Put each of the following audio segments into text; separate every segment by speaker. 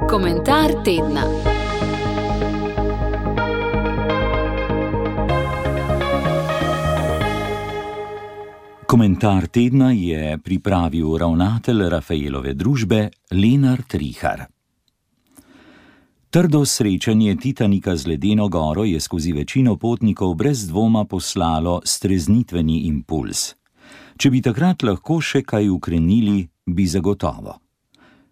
Speaker 1: Komentar tedna.
Speaker 2: Komentar tedna je pripravil ravnatelj Rafaelove družbe Lenart Rihar. Trdo srečanje Titanika z ledeno goro je skozi večino potnikov brez dvoma poslalo streznitveni impuls. Če bi takrat lahko še kaj ukrenili, bi zagotovo.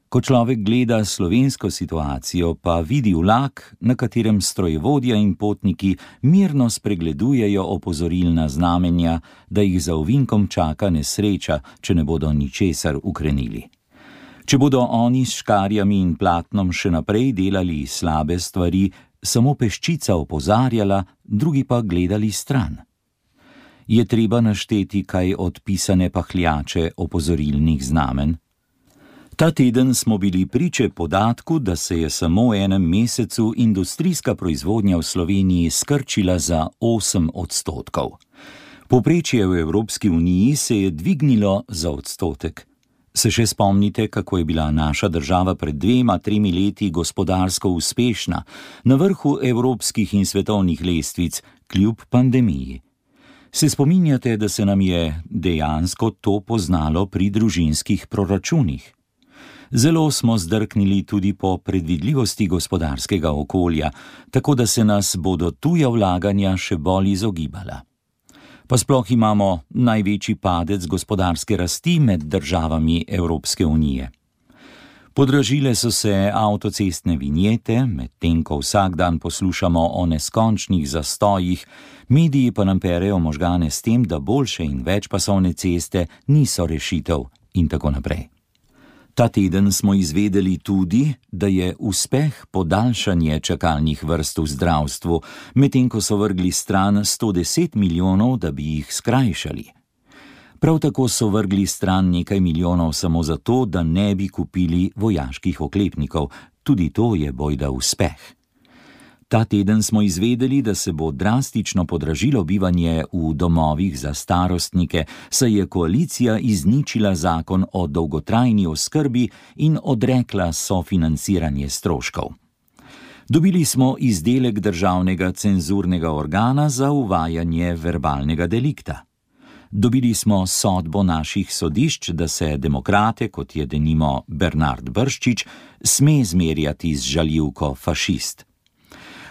Speaker 2: Ko človek gleda slovensko situacijo, pa vidi vlak, na katerem strojevodja in potniki mirno spregledujejo opozorilna znamenja, da jih za ovinkom čaka nesreča, če ne bodo ničesar ukrenili. Če bodo oni s škarjami in platnom še naprej delali slabe stvari, samo peščica opozarjala, drugi pa gledali stran. Je treba našteti kaj odpisane pahljače opozorilnih znamen? Ta teden smo bili priče podatku, da se je samo v enem mesecu industrijska proizvodnja v Sloveniji skrčila za 8%. Povprečje v Evropski uniji se je dvignilo za odstotek. Se še spomnite, kako je bila naša država pred 2-3 leti gospodarsko uspešna, na vrhu evropskih in svetovnih lestvic, kljub pandemiji? Se spominjate, da se nam je dejansko to poznalo pri družinskih proračunih? Zelo smo zdrknili tudi po predvidljivosti gospodarskega okolja, tako da se nas bodo tuja vlaganja še bolj izogibala. Pa sploh imamo največji padec gospodarske rasti med državami Evropske unije. Podražile so se avtocestne vinjete, medtem ko vsak dan poslušamo o neskončnih zastojih, mediji pa nam perejo možgane s tem, da boljše in večpasovne ceste niso rešitev in tako naprej. Ta teden smo izvedeli tudi, da je uspeh podaljšanje čakalnih vrst v zdravstvu, medtem ko so vrgli stran 110 milijonov, da bi jih skrajšali. Prav tako so vrgli stran nekaj milijonov samo zato, da ne bi kupili vojaških oklepnikov. Tudi to je bojda uspeh. Ta teden smo izvedeli, da se bo drastično podražilo bivanje v domovih za starostnike, saj je koalicija izničila zakon o dolgotrajni oskrbi in odrekla sofinanciranje stroškov. Dobili smo izdelek državnega cenzurnega organa za uvajanje verbalnega delikta. Dobili smo sodbo naših sodišč, da se demokrate, kot je denimo Bernard Brščič, sme zmerjati z žaljivko fašist.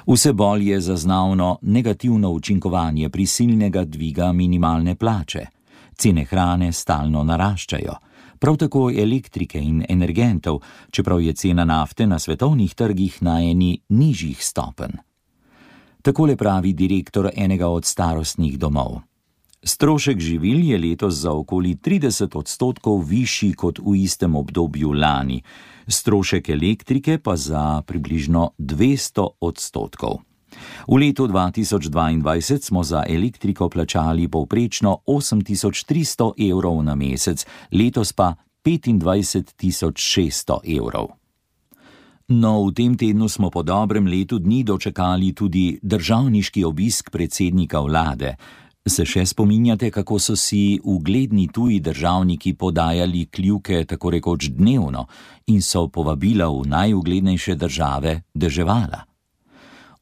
Speaker 2: Vse bolj je zaznavno negativno učinkovanje prisilnega dviga minimalne plače. Cene hrane stalno naraščajo, prav tako elektrike in energentov, čeprav je cena nafte na svetovnih trgih na eni nižjih stopenj. Takole pravi direktor enega od starostnih domov. Strošek živil je letos za okoli 30% višji kot v istem obdobju lani, strošek elektrike pa za približno 200%. V letu 2022 smo za elektriko plačali povprečno 8.300 evrov na mesec, letos pa 25.600 evrov. No, v tem tednu smo po dobrem letu dni dočakali tudi državniški obisk predsednika vlade. Se še spominjate, kako so si ugledni tuji državniki podajali kljuke tako rekoč dnevno in so povabila v najuglednejše države deževala?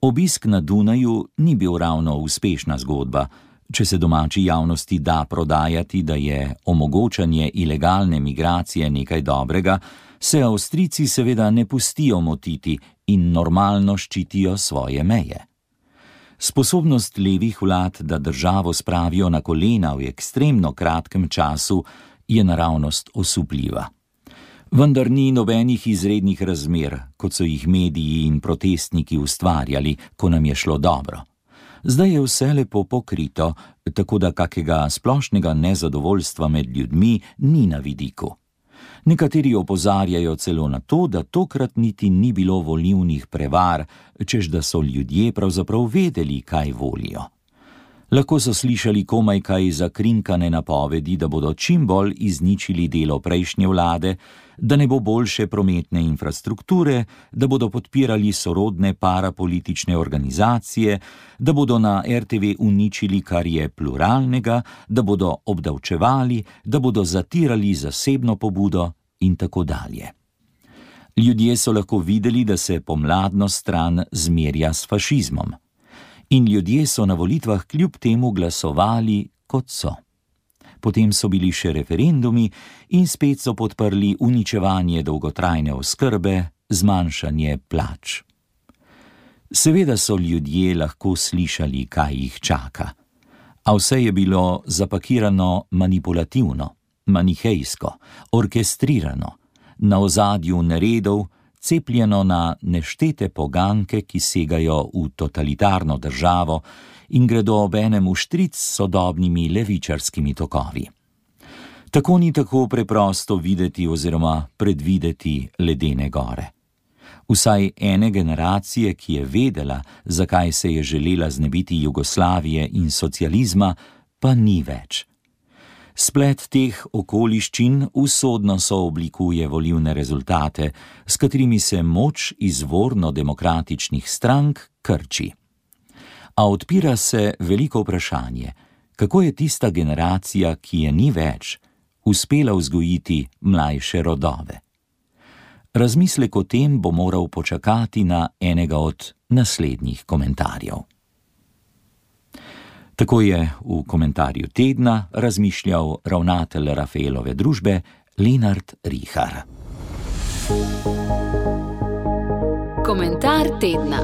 Speaker 2: Obisk na Dunaju ni bil ravno uspešna zgodba. Če se domači javnosti da prodajati, da je omogočanje ilegalne migracije nekaj dobrega, se Avstrijci seveda ne pustijo motiti in normalno ščitijo svoje meje. Sposobnost levih vlad, da državo spravijo na kolena v ekstremno kratkem času, je naravnost osupljiva. Vendar ni nobenih izrednih razmer, kot so jih mediji in protestniki ustvarjali, ko nam je šlo dobro. Zdaj je vse lepo pokrito, tako da kakega splošnega nezadovoljstva med ljudmi ni na vidiku. Nekateri opozarjajo celo na to, da tokrat niti ni bilo volilnih prevar, češ da so ljudje pravzaprav vedeli, kaj volijo. Lahko so slišali komaj kaj zakrinkane napovedi, da bodo čim bolj izničili delo prejšnje vlade, da ne bo boljše prometne infrastrukture, da bodo podpirali sorodne parapolitične organizacije, da bodo na RTV uničili, kar je pluralnega, da bodo obdavčevali, da bodo zatirali zasebno pobudo in tako dalje. Ljudje so lahko videli, da se pomladno stran zmerja s fašizmom. In ljudje so na volitvah kljub temu glasovali, kot so. Potem so bili še referendumi in spet so podprli uničevanje dolgotrajne oskrbe, zmanjšanje plač. Seveda so ljudje lahko slišali, kaj jih čaka. A vse je bilo zapakirano manipulativno, manihejsko, orkestrirano, na ozadju neredov, cepljeno na neštete poganke, ki segajo v totalitarno državo in gredo obenem vštric s sodobnimi levičarskimi tokovi. Tako ni tako preprosto videti oziroma predvideti ledene gore. Vsaj ene generacije, ki je vedela, zakaj se je želela znebiti Jugoslavije in socializma, pa ni več. Splet teh okoliščin usodno sooblikuje volilne rezultate, s katerimi se moč izvorno demokratičnih strank krči. A odpira se veliko vprašanje, kako je tista generacija, ki je ni več, uspela vzgojiti mlajše rodove. Razmislek o tem bo moral počakati na enega od naslednjih komentarjev. Tako je v komentarju tedna razmišljal ravnatelj Rafaelove družbe Lenart Rihar.
Speaker 1: Komentar tedna.